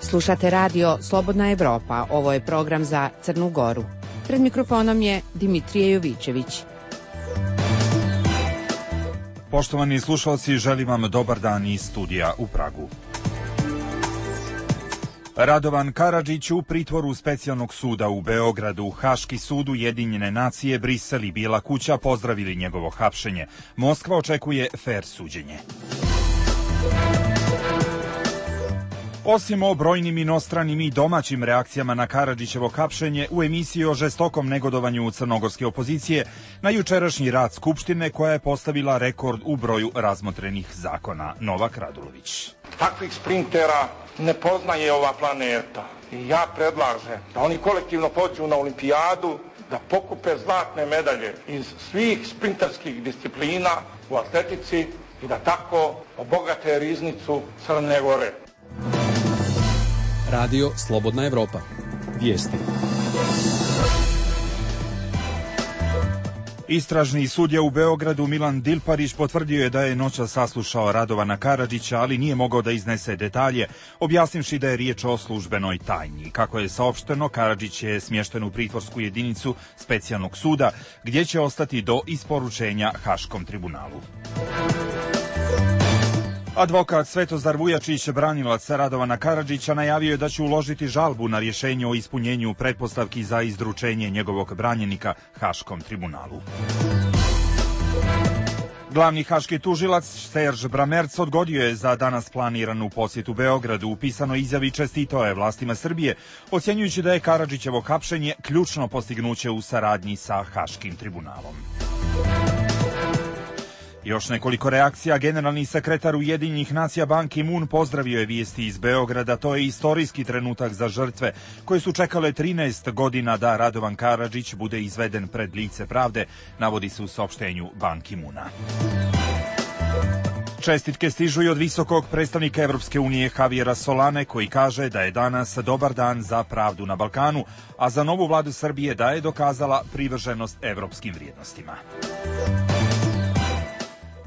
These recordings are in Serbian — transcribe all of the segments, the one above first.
Slušate radio Slobodna Evropa, ovo je program za Crnu Goru. Pred mikrofonom je Dimitrije Jovićević. Poštovani slušalci, želim vam dobar dan iz studija u Pragu. Radovan Karadžić u pritvoru Specijalnog suda u Beogradu. Haški sud, Ujedinjene nacije, Brisel i Bijela kuća pozdravili njegovo hapšenje. Moskva očekuje fer suđenje. Osim o brojnim inostranim i domaćim reakcijama na Karadžićevo hapšenje, u emisiji o žestokom negodovanju crnogorske opozicije na jučerašnji rad Skupštine koja je postavila rekord u broju razmotrenih zakona. Novak Radulović. Takvih sprintera ne poznaje ova planeta. I ja predlažem da oni kolektivno pođu na olimpijadu, da pokupe zlatne medalje iz svih sprinterskih disciplina u atletici i da tako obogate riznicu Crne Gore. Radio Slobodna Evropa. Vijesti. Istražni sudija u Beogradu Milan Dilparić potvrdio je da je noćas saslušao Radovana Karadžića, ali nije mogao da iznese detalje, objasnivši da je riječ o službenoj tajni. Kako je saopšteno, Karadžić je smješten u pritvorsku jedinicu Specijalnog suda, gdje će ostati do isporučenja Haškom tribunalu. Advokat Svetozar Vujačić, branilac Radovana Karadžića, najavio je da će uložiti žalbu na rješenje o ispunjenju pretpostavki za izručenje njegovog branjenika Haškom tribunalu. Glavni haški tužilac Serž Bramerc odgodio je za danas planiranu posjetu Beogradu. U pisanoj izjavi čestitao je vlastima Srbije, ocjenjujući da je Karadžićevo hapšenje ključno postignuće u saradnji sa Haškim tribunalom. Još nekoliko reakcija. Generalni sekretar Ujedinjenih nacija Ban Ki-moon pozdravio je vijesti iz Beograda. To je istorijski trenutak za žrtve koje su čekale 13 godina da Radovan Karadžić bude izveden pred lice pravde, navodi se u saopštenju Ban Ki-moona. Čestitke stižu i od visokog predstavnika Evropske unije Javiera Solane, koji kaže da je danas dobar dan za pravdu na Balkanu, a za novu vladu Srbije da je dokazala privrženost evropskim vrijednostima.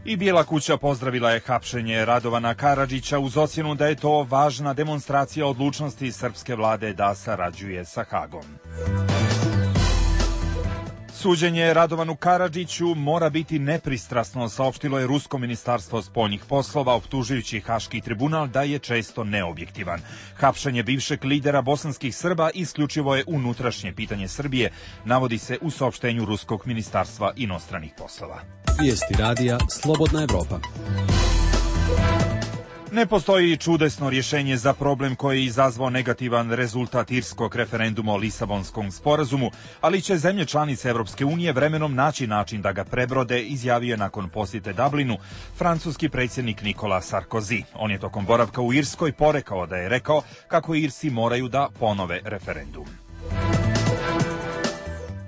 I Bijela kuća pozdravila je hapšenje Radovana Karadžića uz ocjenu da je to važna demonstracija odlučnosti srpske vlade da sarađuje sa Hagom. Suđenje Radovanu Karadžiću mora biti nepristrasno, saopštilo je Rusko ministarstvo spoljnih poslova, optužujući Haški tribunal da je često neobjektivan. Hapšenje bivšeg lidera bosanskih Srba isključivo je unutrašnje pitanje Srbije, navodi se u saopštenju Ruskog ministarstva inostranih poslova. Vijesti radija Slobodna Evropa. Ne postoji čudesno rješenje za problem koji je izazvao negativan rezultat irskog referenduma o Lisabonskom sporazumu, ali će zemlje članice Evropske unije vremenom naći način da ga prebrode, izjavio je nakon posjete Dublinu francuski predsjednik Nicolas Sarkozy. On je tokom boravka u Irskoj porekao da je rekao kako Irsi moraju da ponove referendum.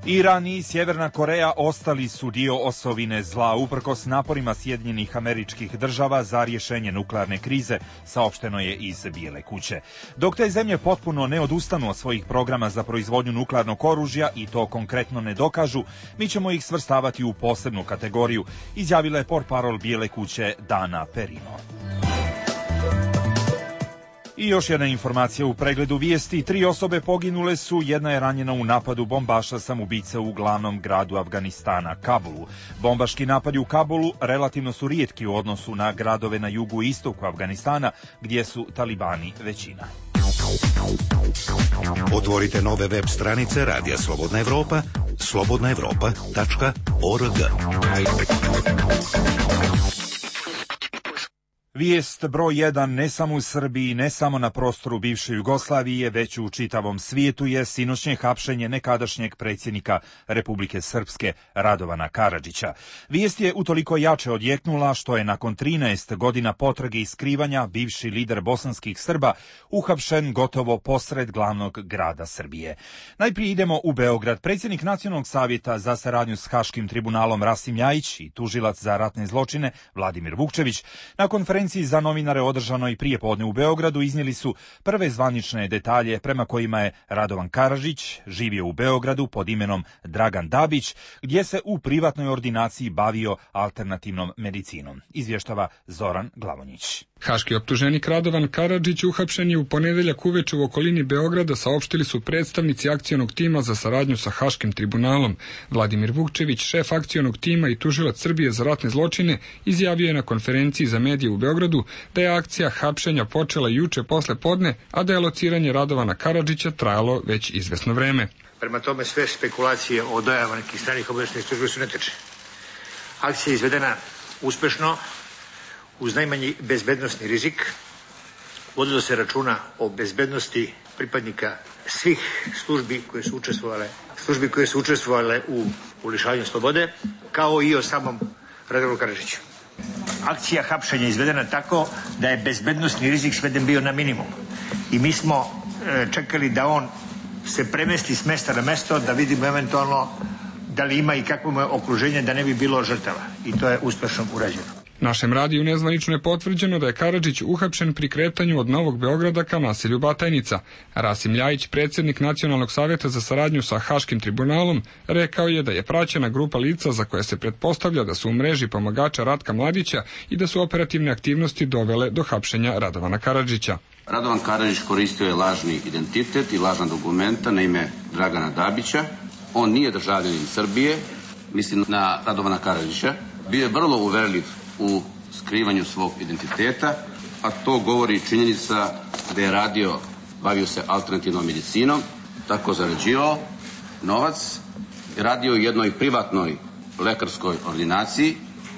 Iran i Sjeverna Koreja ostali su dio osovine zla uprkos naporima Sjedinjenih Američkih Država za rješenje nuklearne krize, saopšteno je iz Bijele kuće. Dok te zemlje potpuno ne odustanu od svojih programa za proizvodnju nuklearnog oružja i to konkretno ne dokažu, mi ćemo ih svrstavati u posebnu kategoriju, izjavila je portparol Bijele kuće Dana Perino. I još jedna informacija u pregledu vijesti. 3 osobe poginule su, jedna je ranjena u napadu bombaša samoubice u glavnom gradu Afganistana, Kabulu. Bombaški napadi u Kabulu relativno su rijetki u odnosu na gradove na jugu i istoku Afganistana, gdje su talibani većina. Otvorite nove web stranice Radija Slobodna Evropa, slobodnaevropa.org. Vijest broj 1 ne samo u Srbiji, ne samo na prostoru bivše Jugoslavije, već u čitavom svijetu je sinoćnje hapšenje nekadašnjeg predsjednika Republike Srpske Radovana Karadžića. Vijest je utoliko jače odjeknula što je nakon 13 godina potrage i skrivanja bivši lider bosanskih Srba uhapšen gotovo posred glavnog grada Srbije. Najprije idemo u Beograd. Predsjednik Nacionalnog savjeta za saradnju s Haškim tribunalom Rasim Ljajić i tužilac za ratne zločine Vladimir Vukčević na konferenciji za novinare održanoj prijepodne u Beogradu iznijeli su prve zvanične detalje prema kojima je Radovan Karadžić živio u Beogradu pod imenom Dragan Dabić, gdje se u privatnoj ordinaciji bavio alternativnom medicinom, izvještava Zoran Glavonjić. Haški optuženik Radovan Karadžić uhapšen je u ponedeljak uveče u okolini Beograda, saopštili su predstavnici akcionog tima za saradnju sa Haškim tribunalom. Vladimir Vukčević, šef akcionog tima i tužilac Srbije za ratne zločine, izjavio je na konferenciji za medije u Beogradu da je akcija hapšenja počela juče posle podne, a da je lociranje Radovana Karadžića trajalo već izvesno vreme. Prema tome sve spekulacije o dojavama nekih stranih obaveštajnih službi su netačne. Akcija je izvedena uspešno, uz najmanji bezbednosni rizik. Vodilo se računa o bezbednosti pripadnika svih službi koje su učestvovale u lišavanju slobode, kao i o samom Radovanu Karadžiću. Akcija hapšenja je izvedena tako da je bezbednosni rizik sveden bio na minimum. I mi smo čekali da on se premesti s mesta na mesto, da vidimo eventualno da li ima i kakvo je okruženje, da ne bi bilo žrtava. I to je uspešno urađeno. Našem radiju nezvanično je potvrđeno da je Karadžić uhapšen pri kretanju od Novog Beograda ka naselju Batajnica. Rasim Ljajić, predsjednik Nacionalnog savjeta za saradnju sa Haškim tribunalom, rekao je da je praćena grupa lica za koje se pretpostavlja da su u mreži pomagača Ratka Mladića i da su operativne aktivnosti dovele do hapšenja Radovana Karadžića. Radovan Karadžić koristio je lažni identitet i lažna dokumenta na ime Dragana Dabića. On nije državljanin Srbije, mislim na Radovana Karadžića. Bio je vrlo uverljiv u skrivanju svog identiteta, a to govori činjenica da je bavio se alternativnom medicinom, tako zarađivao novac, radio u jednoj privatnoj lekarskoj ordinaciji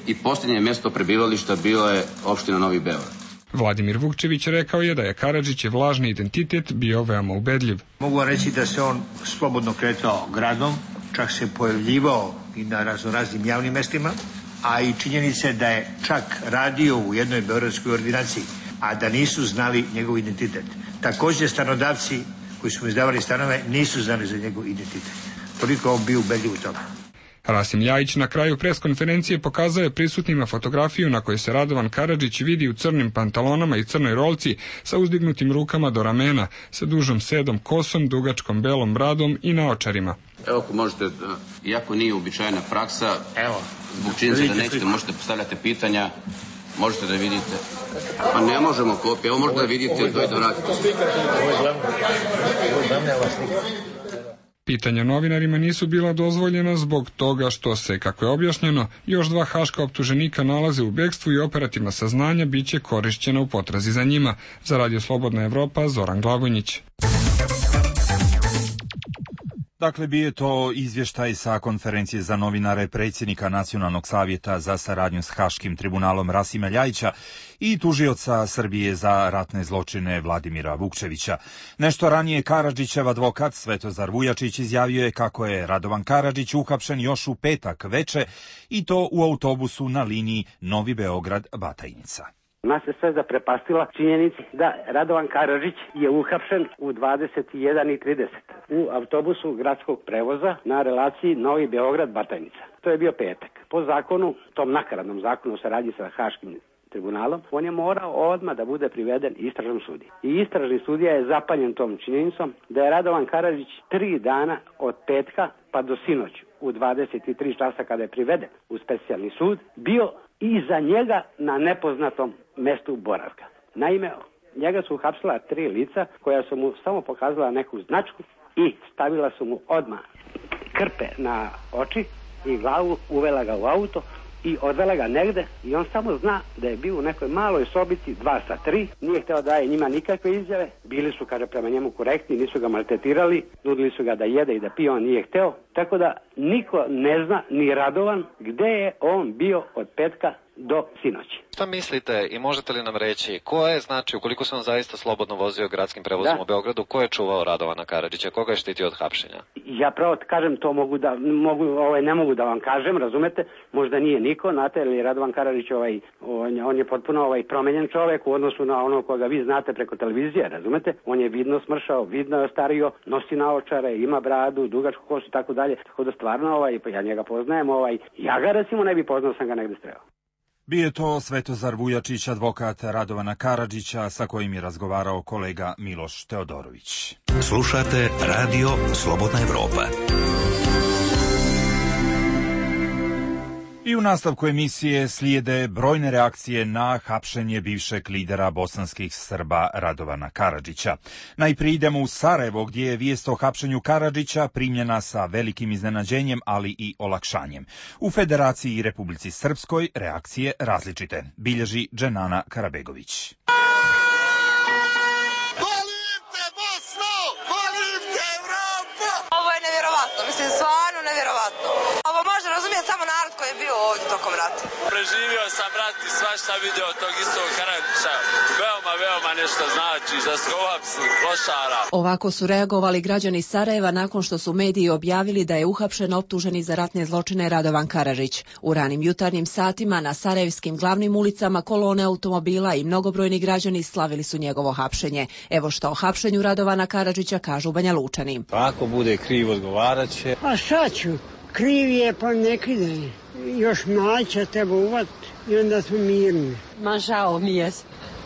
i posljednje mjesto prebivališta bilo je opština Novi Beograd. Vladimir Vukčević rekao je da je Karadžićev lažni identitet bio veoma ubedljiv. Mogu vam reći da se on slobodno kretao gradom, čak se pojavljivao i na raznoraznim javnim mestima, a i činjenice da je čak radio u jednoj beogradskoj ordinaciji, a da nisu znali njegov identitet. Također stanodavci koji su mu izdavali stanove nisu znali za njegov identitet. Toliko on bio ubedljiv u tome. Rasim Ljajić na kraju preskonferencije pokazao je prisutnima fotografiju na kojoj se Radovan Karadžić vidi u crnim pantalonama i crnoj rolci sa uzdignutim rukama do ramena, sa dužom sedom kosom, dugačkom belom bradom i naočarima. Evo ako možete, iako nije uobičajena praksa, zbog činjenice da nećete, možete postavljati pitanja, možete da vidite. Pa ne možemo kopije, evo možete da vidite, dojde vratite. Pitanja novinarima nisu bila dozvoljena zbog toga što se, kako je objašnjeno, još 2 haška optuženika nalaze u bekstvu i operativna saznanja biće korišćena u potrazi za njima. Za Radio Slobodna Evropa, Zoran Glavonjić. Dakle, bio je to izvještaj sa konferencije za novinare predsjednika Nacionalnog savjeta za saradnju s Haškim tribunalom Rasima Ljajića i tužioca Srbije za ratne zločine Vladimira Vukčevića. Nešto ranije Karadžićev advokat Svetozar Vujačić izjavio je kako je Radovan Karadžić uhapšen još u petak veče i to u autobusu na liniji Novi Beograd-Batajnica. Nas je sve zaprepastila činjenica da Radovan Karadžić je uhapšen u 21:30 u autobusu gradskog prevoza na relaciji Novi Beograd-Batajnica. To je bio petak. Po zakonu, tom nakaradnom zakonu o saradnji sa Haškim tribunalom, on je morao odmah da bude priveden istražnom sudiji. I istražni sudija je zapanjen tom činjenicom da je Radovan Karadžić 3 dana od petka pa do sinoć u 23 časa kada je priveden u specijalni sud bio iza njega na nepoznatom mestu boravka. Naime, njega su uhapsila 3 lica koja su mu samo pokazala neku značku i stavila su mu odmah krpe na oči i glavu, uvela ga u auto i odvela ga negde i on samo zna da je bio u nekoj maloj sobici 2-3, nije hteo da daje njima nikakve izjave, bili su, kaže, prema njemu korektni, nisu ga maltretirali, nudili su ga da jede i da pije, on nije hteo, tako da niko ne zna, ni Radovan, gde je on bio od petka do sinoći. Šta mislite i možete li nam reći ko je, znači, ukoliko se on zaista slobodno vozio gradskim prevozom u Beogradu, ko je čuvao Radovana Karadžića, koga je štitio od hapšenja? Ja pravo kažem, to ne mogu da vam kažem, razumete, možda nije niko, znate, jer je Radovan Karadžić on je potpuno promenjen čovjek u odnosu na ono koga vi znate preko televizije, razumete, on je vidno smršao, vidno je ostario, nosi naočare, ima bradu, dugačku kosu i tako dalje, tako da stvarno ja njega poznajem, ja ga recimo ne bi poznao, sam ga negde streo. Bio je to Svetozar Vujačić, advokat Radovana Karadžića, sa kojim je razgovarao kolega Miloš Teodorović. Slušate Radio Slobodna Evropa. I u nastavku emisije slijede brojne reakcije na hapšenje bivšeg lidera bosanskih Srba Radovana Karadžića. Najprije idemo u Sarajevo, gdje je vijest o hapšenju Karadžića primljena sa velikim iznenađenjem, ali i olakšanjem. U Federaciji i Republici Srpskoj reakcije različite, bilježi Dženana Karabegović. Mislim, stvarno nevjerovatno. Ovo može razumjeti samo narod koji je bio ovdje tokom rata. Preživio sam rat i svašta video tog istog Karadžića. Veoma nešto znači za skovaps klošara. Ovako su reagovali građani Sarajeva nakon što su mediji objavili da je uhapšen optuženi za ratne zločine Radovan Karadžić. U ranim jutarnjim satima na sarajevskim glavnim ulicama kolone automobila i mnogobrojni građani slavili su njegovo hapšenje. Evo što o hapšenju Radovana Karadžića kažu Banjalučani. Ako bude kriv, odgovarat će. A šta ću? Kriv je, pa ne kride. Još mlađa treba uvat i onda smo mirni. Ma žao mi je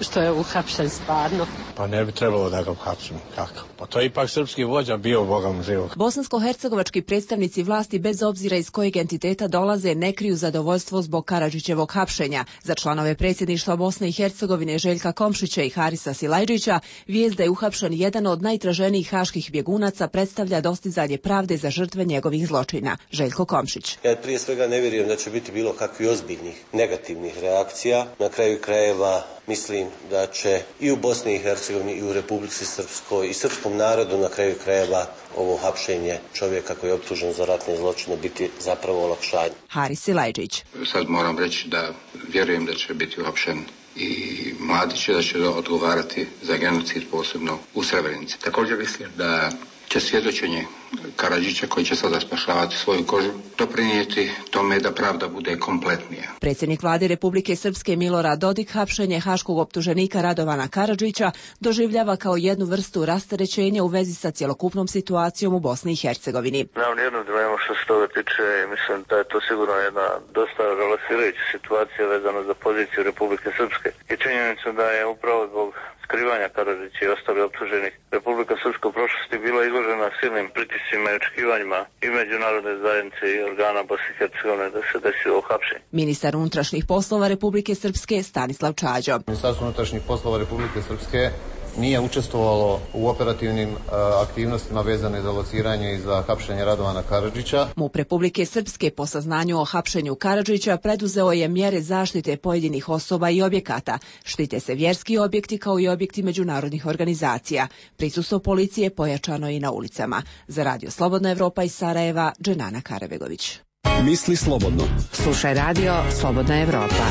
što je uhapšen stvarno. Pa ne bi trebalo da ga uhapšen. Kako? Pa to je ipak srpski vođa bio Bogom živog. Bosansko-hercegovački predstavnici vlasti bez obzira iz kojeg entiteta dolaze ne kriju zadovoljstvo zbog Karadžićevog hapšenja. Za članove predsjedništva Bosne i Hercegovine Željka Komšića i Harisa Silajdžića vijest da je uhapšen jedan od najtraženijih haških bjegunaca predstavlja dostizanje pravde za žrtve njegovih zločina. Željko Komšić. Ja prije svega ne vjerujem da će biti bilo kakvih ozbiljnih negativnih reakcija. Na kraju krajeva mislim da će i u Bosni i Hercegovini i u Republici Srpskoj i srpskom narodu na kraju krajeva ovo hapšenje čovjeka koji je optužen za ratne zločine biti zapravo olakšanje. Haris Silajdžić. Sad moram reći da vjerujem da će biti uhapšen i Mladić, da će odgovarati za genocid posebno u Srebrenici. Također mislim da će svjedočenje Karadžića, koji će sada spašavati svoju kožu, doprinijeti tome da pravda bude kompletnija. Predsjednik vlade Republike Srpske Milorad Dodik hapšenje haškog optuženika Radovana Karadžića doživljava kao jednu vrstu rasterećenja u vezi sa cjelokupnom situacijom u Bosni i Hercegovini. Nemam nijednu dilemu što se toga tiče, mislim da je to sigurno jedna dosta relaksirajuća situacija vezana za poziciju Republike Srpske i činjenica da je upravo zbog skrivanja Karadžića i ostali optuženih Republika Srpska u prošlosti bila izložena silnim pritiscima i očekivanjima i međunarodne zajednice i organa Bosne i Hercegovine da se desi ovo hapšenje. Ministar unutrašnjih poslova Republike Srpske Stanislav Čađo. Ministarstvo unutrašnjih poslova Republike Srpske nije učestvovalo u operativnim aktivnostima vezane za lociranje i za hapšenje Radovana Karadžića. MUP Republike Srpske po saznanju o hapšenju Karadžića preduzeo je mjere zaštite pojedinih osoba i objekata. Štite se vjerski objekti kao i objekti međunarodnih organizacija. Prisustvo policije pojačano i na ulicama. Za Radio Slobodna Evropa iz Sarajeva, Dženana Karabegović. Misli slobodno. Slušaj Radio Slobodna Evropa.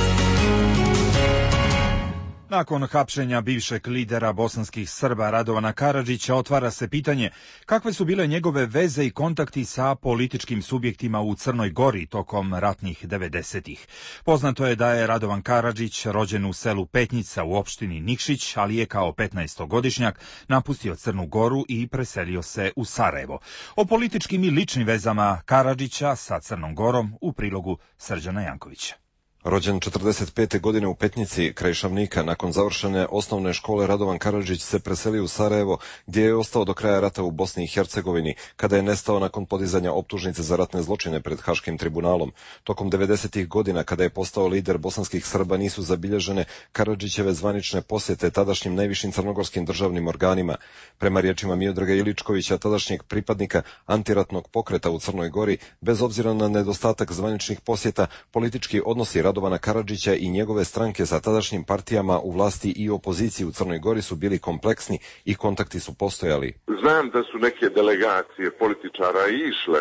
Nakon hapšenja bivšeg lidera bosanskih Srba Radovana Karadžića otvara se pitanje kakve su bile njegove veze i kontakti sa političkim subjektima u Crnoj Gori tokom ratnih 90-ih. Poznato je da je Radovan Karadžić rođen u selu Petnica u opštini Nikšić, ali je kao 15-godišnjak napustio Crnu Goru i preselio se u Sarajevo. O političkim i ličnim vezama Karadžića sa Crnom Gorom u prilogu Srđana Jankovića. Rođen 45. godine u Petnici, kraj Šavnika, nakon završene osnovne škole Radovan Karadžić se preselio u Sarajevo, gdje je ostao do kraja rata u Bosni i Hercegovini, kada je nestao nakon podizanja optužnice za ratne zločine pred Haškim tribunalom. Tokom 90-ih godina, kada je postao lider bosanskih Srba, nisu zabilježene Karadžićeve zvanične posjete tadašnjim najvišim crnogorskim državnim organima. Prema riječima Miodraga Iličkovića, tadašnjeg pripadnika antiratnog pokreta u Crnoj Gori, bez obzira na nedostatak zvaničnih posjeta, politički odnosi Radovana Karadžića i njegove stranke sa tadašnjim partijama u vlasti i opoziciji u Crnoj Gori su bili kompleksni i kontakti su postojali. Znam da su neke delegacije političara išle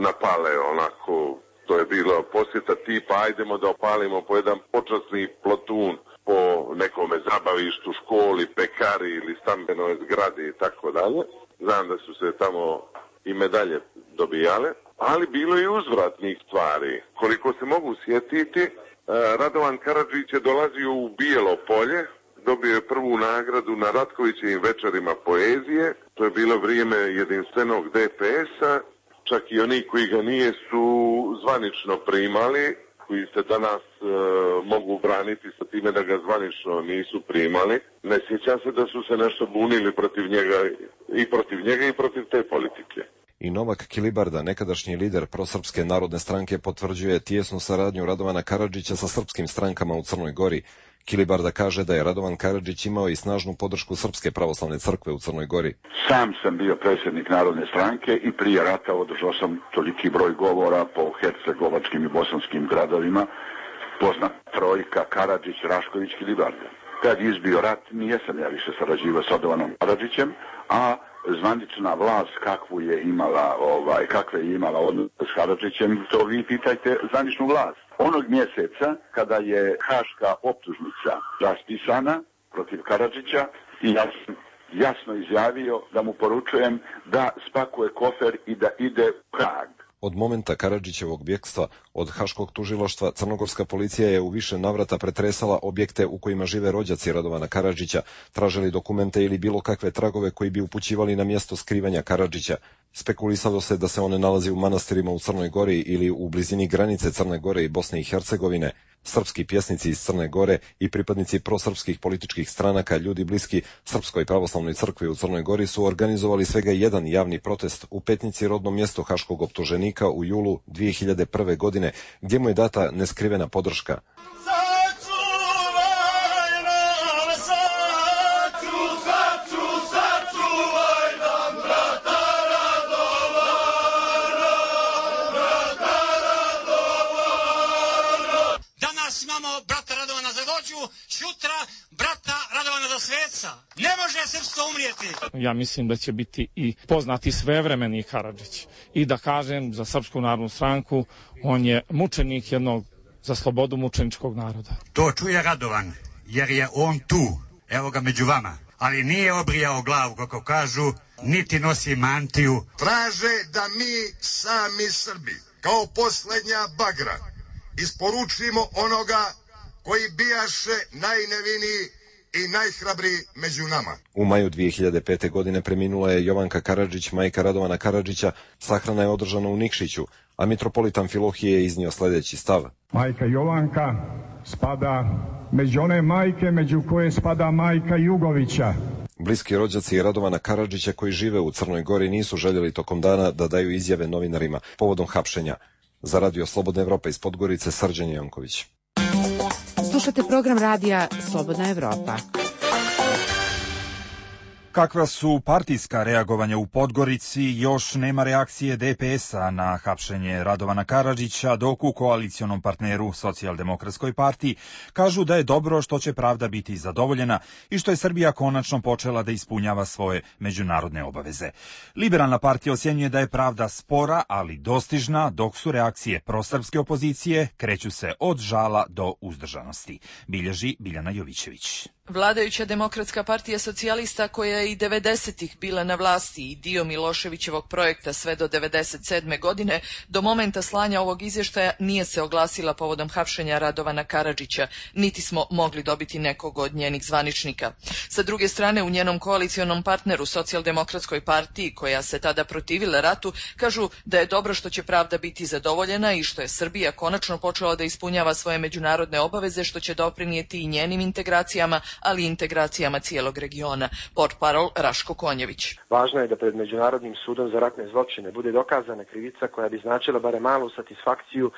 na Pale, onako, to je bilo posjeta tipa ajdemo da opalimo po jedan počasni plotun po nekome zabavištu, školi, pekari ili stambenoj zgradi i tako dalje. Znam da su se tamo i medalje dobijale, ali bilo je i uzvratnih stvari. Koliko se mogu sjetiti, Radovan Karadžić je dolazio u Bijelo Polje, dobio je prvu nagradu na Ratkovićevim večerima poezije. To je bilo vrijeme jedinstvenog DPS-a, čak i oni koji ga nije su zvanično primali, koji se danas mogu braniti sa time da ga zvanično nisu primali. Ne sjećam se da su se nešto bunili protiv njega i protiv te politike. I Novak Kilibarda, nekadašnji lider prosrpske narodne stranke, potvrđuje tijesnu saradnju Radovana Karadžića sa srpskim strankama u Crnoj Gori. Kilibarda kaže da je Radovan Karadžić imao i snažnu podršku Srpske pravoslavne crkve u Crnoj Gori. Sam sam bio predsjednik Narodne stranke i prije rata održao sam toliki broj govora po hercegovačkim i bosanskim gradovima. Poznat trojka Karadžić, Rašković, Kilibarda. Kad je izbio rat, nijesam ja više sarađivao s Radovanom Karadžićem, a zvanična vlast kakve je imala odnos s Karadžićem, to vi pitajte zvaničnu vlast. Onog mjeseca kada je haška optužnica raspisana protiv Karadžića, i ja sam jasno izjavio da mu poručujem da spakuje kofer i da ide u Prag. Od momenta Karadžićevog bjegstva od haškog tužilaštva, crnogorska policija je u više navrata pretresala objekte u kojima žive rođaci Radovana Karadžića, tražili dokumente ili bilo kakve tragove koji bi upućivali na mjesto skrivanja Karadžića. Spekulisalo se da se one nalazi u manastirima u Crnoj Gori ili u blizini granice Crne Gore i Bosne i Hercegovine. Srpski pjesnici iz Crne Gore i pripadnici prosrpskih političkih stranaka, ljudi bliski Srpskoj pravoslavnoj crkvi u Crnoj Gori, su organizovali svega jedan javni protest u Petnici, rodnom mjestu haškog optuženika, u julu 2001. godine, gdje mu je data neskrivena podrška. Sutra brata Radovana za sveca. Ne može srpstvo umrijeti. Ja mislim da će biti i poznati svevremeni Karadžić. I da kažem za Srpsku narodnu stranku, on je mučenik jednog za slobodu mučeničkog naroda. To čuje Radovan, jer je on tu, evo ga među vama. Ali nije obrijao glavu, kako kažu, niti nosi mantiju. Traže da mi sami Srbi, kao posljednja bagra, isporučimo onoga koji bijaše najneviniji i najhrabriji među nama. U maju 2005. godine preminula je Jovanka Karadžić, majka Radovana Karadžića. Sahrana je održana u Nikšiću, a mitropolit Amfilohije je iznio sljedeći stav. Majka Jovanka spada među one majke među koje spada majka Jugovića. Bliski rođaci Radovana Karadžića koji žive u Crnoj Gori nisu željeli tokom dana da daju izjave novinarima povodom hapšenja. Za Radio Slobodna Evropa iz Podgorice, Srđan Janković. Slušate program radija Slobodna Evropa. Kakva su partijska reagovanja u Podgorici, još nema reakcije DPS-a na hapšenje Radovana Karadžića, dok u koalicionom partneru Socijaldemokratskoj partiji kažu da je dobro što će pravda biti zadovoljena i što je Srbija konačno počela da ispunjava svoje međunarodne obaveze. Liberalna partija ocjenjuje da je pravda spora, ali dostižna, dok su reakcije prosrpske opozicije kreću se od žala do uzdržanosti. Bilježi Biljana Jovićević. Vladajuća Demokratska partija socijalista, koja je i 90-ih bila na vlasti i dio Miloševićevog projekta sve do 97. godine, do momenta slanja ovog izvještaja nije se oglasila povodom hapšenja Radovana Karadžića, niti smo mogli dobiti nekog od njenih zvaničnika. Sa druge strane, u njenom koalicionom partneru Socijaldemokratskoj partiji, koja se tada protivila ratu, kažu da je dobro što će pravda biti zadovoljena i što je Srbija konačno počela da ispunjava svoje međunarodne obaveze, što će doprinijeti i njenim integracijama, ali i integracijama cijelog regiona. Portparol Raško Konjević. Važno je da pred Međunarodnim sudom za ratne zločine bude dokazana krivica koja bi značila barem malu satisfakciju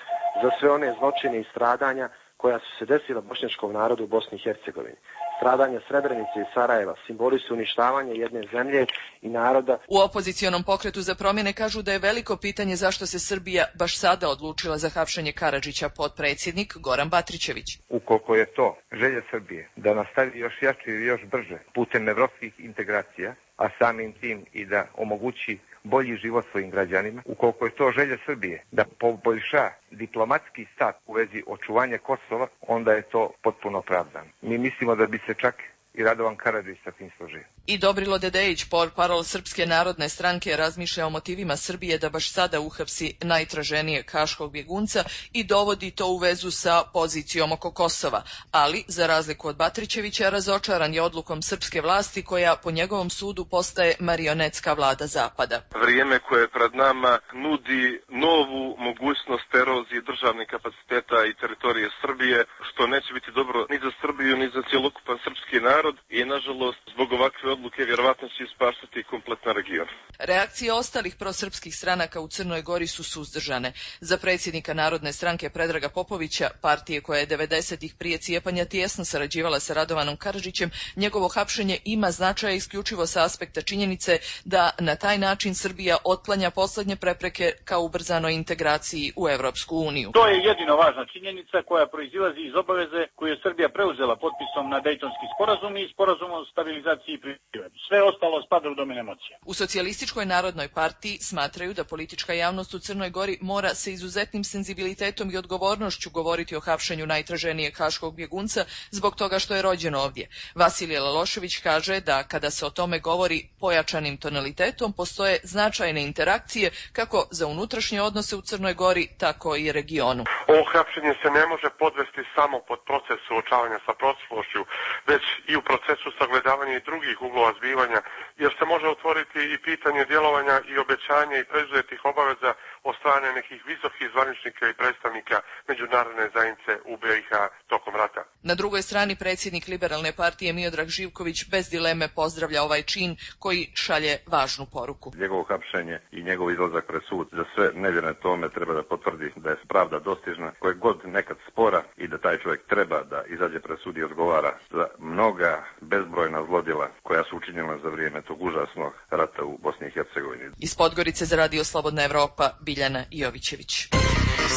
za sve one zločine i stradanja koja su se desila bošnjačkom narodu u Bosni i Hercegovini. Stradanja Srebrenice i Sarajeva simboli su uništavanje jedne zemlje i naroda. U opozicionom pokretu za promjene kažu da je veliko pitanje zašto se Srbija baš sada odlučila za hapšenje Karadžića, potpredsjednik Goran Batrićević. Ukoliko je to želja Srbije da nastavi još jače i još brže putem evropskih integracija, a samim tim i da omogući bolji život svojim građanima, ukoliko je to želja Srbije da poboljša diplomatski stav u vezi očuvanja Kosova, onda je to potpuno opravdano. Mi mislimo da bi se čak i Radovan Karadžić sa tim složio. I Dobrilo Dedejić, portparol Srpske narodne stranke, razmišlja o motivima Srbije da baš sada uhapsi najtraženijeg haškog bjegunca i dovodi to u vezu sa pozicijom oko Kosova. Ali, za razliku od Batrićevića, razočaran je odlukom srpske vlasti koja, po njegovom sudu, postaje marionetska vlada Zapada. Vrijeme koje je pred nama nudi novu mogućnost erozije državnih kapaciteta i teritorije Srbije, što neće biti dobro ni za Srbiju, ni za cjelokupan srpski narod. narod i, nažalost, zbog ovakve odluke vjerovatno će ispaštati kompletan region. Reakcije ostalih prosrpskih stranaka u Crnoj Gori su suzdržane. Za predsjednika Narodne stranke Predraga Popovića, partije koja je 90-ih prije cijepanja tijesno sarađivala sa Radovanom Karadžićem, njegovo hapšenje ima značaja isključivo sa aspekta činjenice da na taj način Srbija otklanja posljednje prepreke ka ubrzanoj integraciji u Evropsku uniju. To je jedino važna činjenica koja proizilazi iz obaveze koju je Srbija preuzela potpisom na Dejtonski sporazum i sporazum o stabilizaciji i pridruživanju. Sve ostalo spada u domen emocija. U Socijalističkoj narodnoj partiji smatraju da politička javnost u Crnoj Gori mora sa izuzetnim senzibilitetom i odgovornošću govoriti o hapšenju najtraženijeg haškog bjegunca zbog toga što je rođen ovdje. Vasilije Lalošević kaže da kada se o tome govori pojačanim tonalitetom postoje značajne interakcije kako za unutrašnje odnose u Crnoj Gori, tako i regionu. Ovo hapšenje se ne može podvesti samo pod proces suočavanja sa prošlošću, već i u procesu sagledavanja i drugih uglova zbivanja, jer se može otvoriti i pitanje djelovanja i obećanja i preuzetih obaveza od strane nekih visokih zvaničnika i predstavnika međunarodne zajednice u BiH tokom rata. Na drugoj strani predsjednik Liberalne partije Miodrag Živković bez dileme pozdravlja ovaj čin koji šalje važnu poruku. Njegovo hapšenje i njegov izlazak pred sud za sve nevjerne tome treba da potvrdi da je pravda dostižna, koje god nekad spora, i da taj čovjek treba da izađe pred sud i odgovara za mnoga bezbrojna zlodjela koja su učinjena za vrijeme tog užasnog rata u Bosni i Hercegovini. Iz Podgorice za Radio Slobodna Evropa, Biljana Jovićević.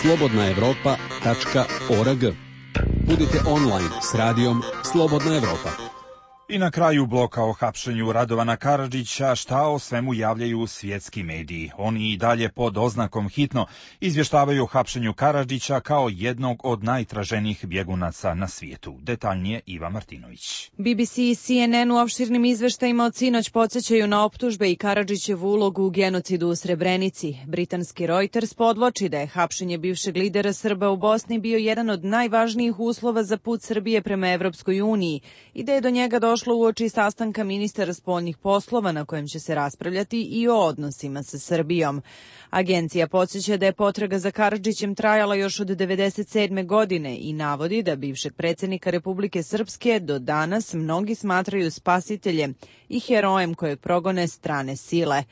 slobodnaevropa.org. Budite online s radijom Slobodna Evropa. I na kraju bloka o hapšenju Radovana Karadžića, šta o svemu javljaju svjetski mediji. Oni i dalje pod oznakom hitno izvještavaju o hapšenju Karadžića kao jednog od najtraženijih bjegunaca na svijetu. Detaljnije Iva Martinović. BBC i CNN u opširnim izveštajima od sinoć podsjećaju na optužbe i Karadžićevu ulogu u genocidu u Srebrenici. Britanski Reuters podvlači da je hapšenje bivšeg lidera Srba u Bosni bio jedan od najvažnijih uslova za put Srbije prema Evropskoj uniji i da je do njega došlo uoči sastanka ministara spoljnih poslova na kojem će se raspravljati i o odnosima sa Srbijom. Agencija podsjeća da je potraga za Karadžićem trajala još od 1997. godine i navodi da bivšeg predsjednika Republike Srpske do danas mnogi smatraju spasiteljem i herojem kojeg progone strane sile.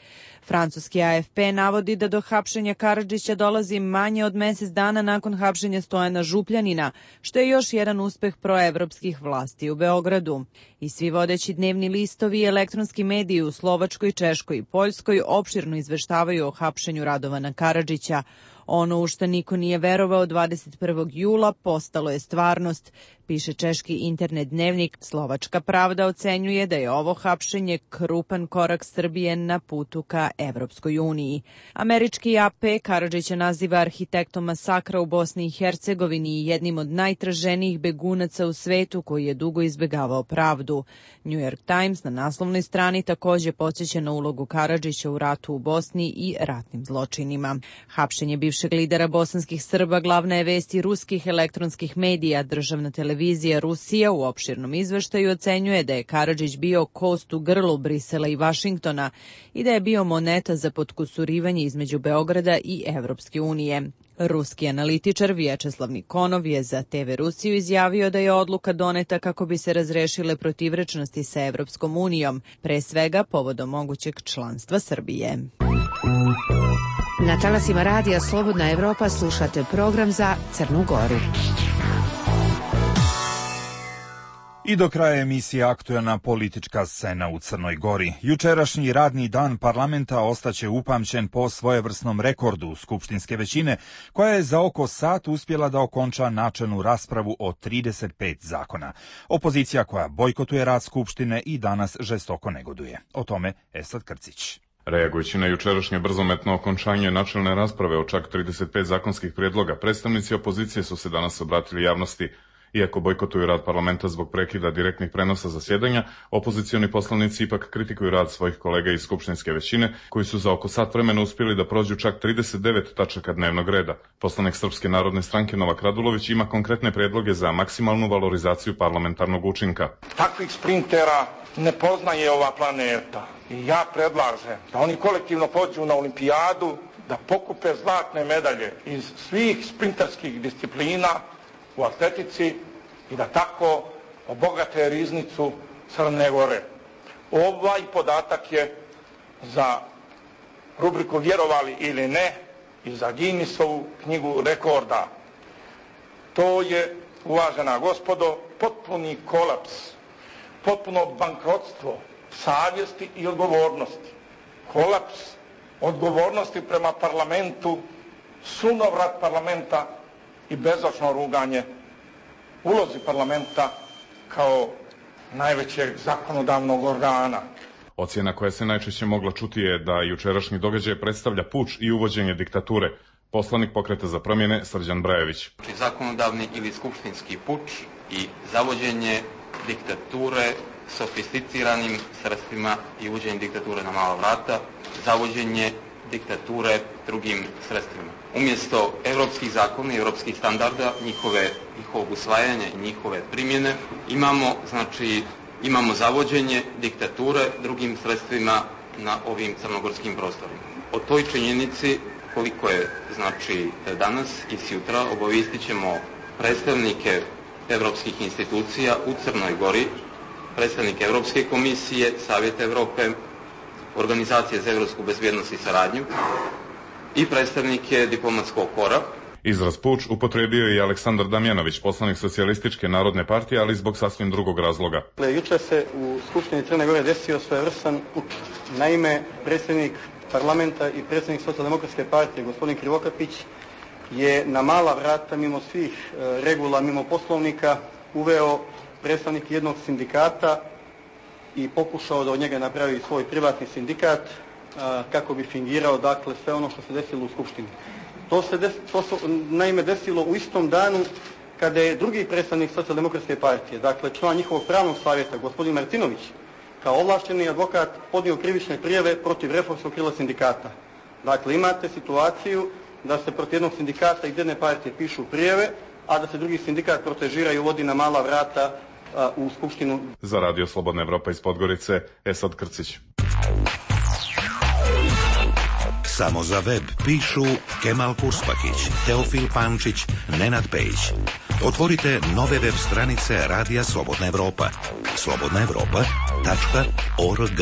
Francuski AFP navodi da do hapšenja Karadžića dolazi manje od mjesec dana nakon hapšenja Stojana Župljanina, što je još jedan uspeh proevropskih vlasti u Beogradu. I svi vodeći dnevni listovi i elektronski mediji u Slovačkoj, Češkoj i Poljskoj opširno izveštavaju o hapšenju Radovana Karadžića. Ono u što niko nije verovao 21. jula postalo je stvarnost, piše češki internet dnevnik. Slovačka Pravda ocenjuje da je ovo hapšenje krupan korak Srbije na putu ka Evropskoj uniji. Američki AP Karadžića naziva arhitektom masakra u Bosni i Hercegovini i jednim od najtraženijih begunaca u svetu koji je dugo izbjegavao pravdu. New York Times na naslovnoj strani također podsjeća na ulogu Karadžića u ratu u Bosni i ratnim zločinima. Hapšenje bivšeg lidera bosanskih Srba glavna je vest i ruskih elektronskih medija. Državna televizija Rusija u opširnom izveštaju ocenjuje da je Karadžić bio kost u grlu Brisela i Vašingtona i da je bio moneta za potkusurivanje između Beograda i Evropske unije. Ruski analitičar Vječeslav Nikonov je za TV Rusiju izjavio da je odluka doneta kako bi se razrešile protivrečnosti sa Evropskom unijom, pre svega povodom mogućeg članstva Srbije. Na talasima radija Slobodna Evropa slušate program za Crnu Goru. I do kraja emisije aktuelna politička scena u Crnoj Gori. Jučerašnji radni dan parlamenta ostaće upamćen po svojevrsnom rekordu skupštinske većine, koja je za oko sat uspjela da okonča načelnu raspravu o 35 zakona. Opozicija koja bojkotuje rad skupštine i danas žestoko negoduje. O tome Esad Krcić. Reagujući na jučerašnje brzometno okončanje načelne rasprave o čak 35 zakonskih prijedloga, predstavnici opozicije su se danas obratili javnosti. Iako bojkotuju rad parlamenta zbog prekida direktnih prenosa zasjedanja, opozicioni poslanici ipak kritikuju rad svojih kolega iz skupštinske većine, koji su za oko sat vremena uspjeli da prođu čak 39 tačaka dnevnog reda. Poslanik Srpske narodne stranke Novak Radulović ima konkretne prijedloge za maksimalnu valorizaciju parlamentarnog učinka. Takvih sprintera ne poznaje ova planeta. I ja predlažem da oni kolektivno pođu na olimpijadu, da pokupe zlatne medalje iz svih sprinterskih disciplina u atletici i da tako obogate riznicu Crne Gore. Ovaj podatak je za rubriku Vjerovali ili ne i za Guinnessovu knjigu rekorda. To je, uvažena gospodo, potpuni kolaps, potpuno bankrotstvo savjesti i odgovornosti. Kolaps odgovornosti prema parlamentu, sunovrat parlamenta i bezočno ruganje ulozi parlamenta kao najvećeg zakonodavnog organa. Ocjena koja se najčešće mogla čuti je da jučerašnji događaj predstavlja puč i uvođenje diktature. Poslanik Pokreta za promjene Srđan Brajević. Zakonodavni ili skupštinski puč i zavođenje diktature sofisticiranim sredstvima i uvođenje diktature na mala vrata, zavođenje diktature drugim sredstvima. Umjesto evropskih zakona i evropskih standarda, njihovog usvajanja i njihove primjene, imamo zavođenje diktature drugim sredstvima na ovim crnogorskim prostorima. O toj činjenici, koliko je danas i sutra, obavistit ćemo predstavnike evropskih institucija u Crnoj Gori, predstavnike Evropske komisije, Savjeta Evrope, Organizacije za evropsku bezbjednost i saradnju i predstavnike diplomatskog kora. Izraz puč upotrijebio je i Aleksandar Damjanović, poslanik Socijalističke narodne partije, ali zbog sasvim drugog razloga. Jučer se u Skupštini Crne Gore desio svojevrstan puč. Naime, predsjednik parlamenta i predsjednik Socijaldemokratske partije, gospodin Krivokapić, je na mala vrata, mimo svih regula, mimo poslovnika, uveo predstavnik jednog sindikata i pokušao da od njega napravi svoj privatni sindikat kako bi fingirao, dakle, sve ono što se desilo u Skupštini. To se naime desilo u istom danu kada je drugi predstavnik Socijaldemokratske partije, dakle član njihovog pravnog savjeta, gospodin Martinović, kao ovlašteni advokat podnio krivične prijave protiv reformskog krila sindikata. Dakle, imate situaciju da se protiv jednog sindikata iz jedne partije pišu prijave, a da se drugi sindikat protežira i uvodi na mala vrata u Skupštinu. Za Radio Slobodna Evropa iz Podgorice, Esad Krcić. Samo za web pišu Kemal Kurspakić, Teofil Pančić, Nenad Pejić. Otvorite nove web stranice Radija Slobodna Evropa. slobodnaevropa.org.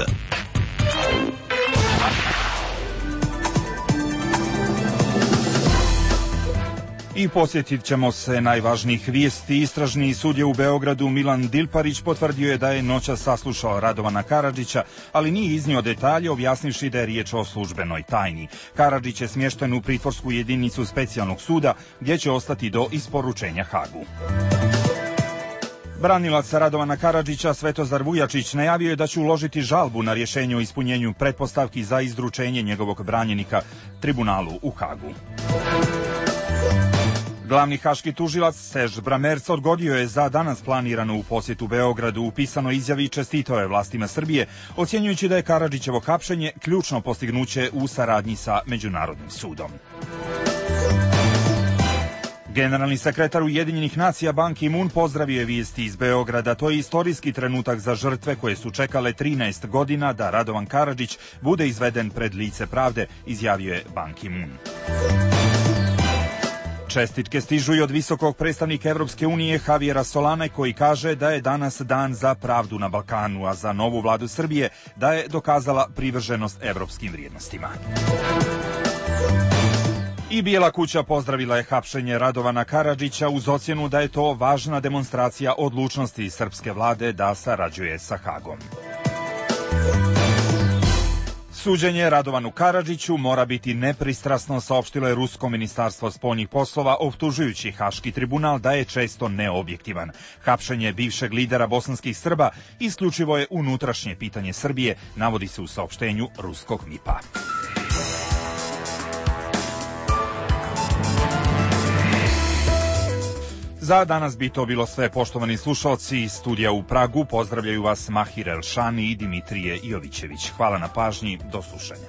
I posjetit ćemo se najvažnijih vijesti. Istražni sudija u Beogradu Milan Dilparić potvrdio je da je noćas saslušao Radovana Karadžića, ali nije iznio detalje, objasnivši da je riječ o službenoj tajni. Karadžić je smješten u pritvorsku jedinicu specijalnog suda, gdje će ostati do isporučenja Hagu. Branilac Radovana Karadžića Svetozar Vujačić najavio je da će uložiti žalbu na rješenje o ispunjenju pretpostavki za izručenje njegovog branjenika tribunalu u Hagu. Glavni haški tužilac Serž Bramerc odgodio je za danas planirano u posjetu Beogradu. U pisanoj izjavi čestitao je vlastima Srbije, ocjenjujući da je Karadžićevo hapšenje ključno postignuće u saradnji sa Međunarodnim sudom. Generalni sekretar Ujedinjenih nacija Ban Ki-moon pozdravio je vijesti iz Beograda. To je istorijski trenutak za žrtve koje su čekale 13 godina da Radovan Karadžić bude izveden pred lice pravde, izjavio je Ban Ki-moon. Čestitke stižu i od visokog predstavnika Evropske unije Javiera Solane, koji kaže da je danas dan za pravdu na Balkanu, a za novu vladu Srbije da je dokazala privrženost evropskim vrijednostima. I Bijela kuća pozdravila je hapšenje Radovana Karadžića uz ocjenu da je to važna demonstracija odlučnosti srpske vlade da sarađuje sa Hagom. Suđenje Radovanu Karadžiću mora biti nepristrasno, saopštilo je Rusko ministarstvo spoljnih poslova, optužujući Haški tribunal da je često neobjektivan. Hapšenje bivšeg lidera bosanskih Srba isključivo je unutrašnje pitanje Srbije, navodi se u saopštenju ruskog MIP-a. Za danas bi to bilo sve, poštovani slušalci. Iz studija u Pragu pozdravljaju vas Mahir Elšani i Dimitrije Jovićević. Hvala na pažnji, do slušanja.